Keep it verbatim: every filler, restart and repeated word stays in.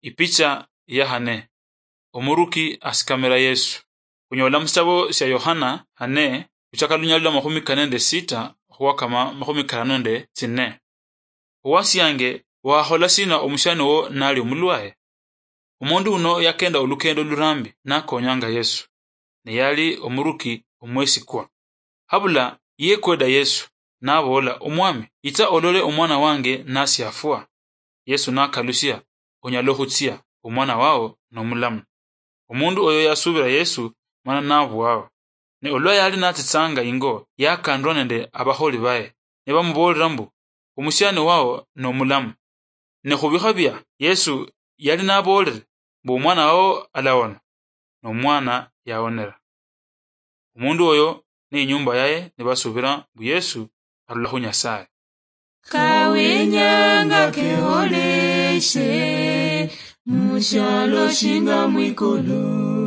Ipicha ya hane. Omuruki asikamira Yesu. Khunyola musitabo sia Yohana hane, khuchaka lunyali lwa makhumi kane nende sita khuwakama makhumi karano nende tsine. "Owasiange, wakhola sina omusiani wo nali omulwaye?" Omundu uno yakenda olukendo lurambi nakonyanga Yesu, ne yali omuruki omwesikwa. Habula yekweda Yesu, naboola, "Omwami, itsa olole omwana wange nasiafwa." Yesu nakalusia, "Onyala okhutsia, omwana wao nomulamu." Omundu oyo yasubira Yesu, mana nabwao. Ne olwa yali natsitsanga ingo, yakandwa nende abakholi baye, nibamuboolera mbu, "Omusiani wao nomulamu." Ne khubikha bia Yesu yali naboolere mbu, "Omwana wao alawona," nomwana yawonera. Omundu oyo ne inyumba yaye nibasubira mbu Yesu arula khu Nyasaye. Kawenyanga keholeshe mushialo shinga mwikulu.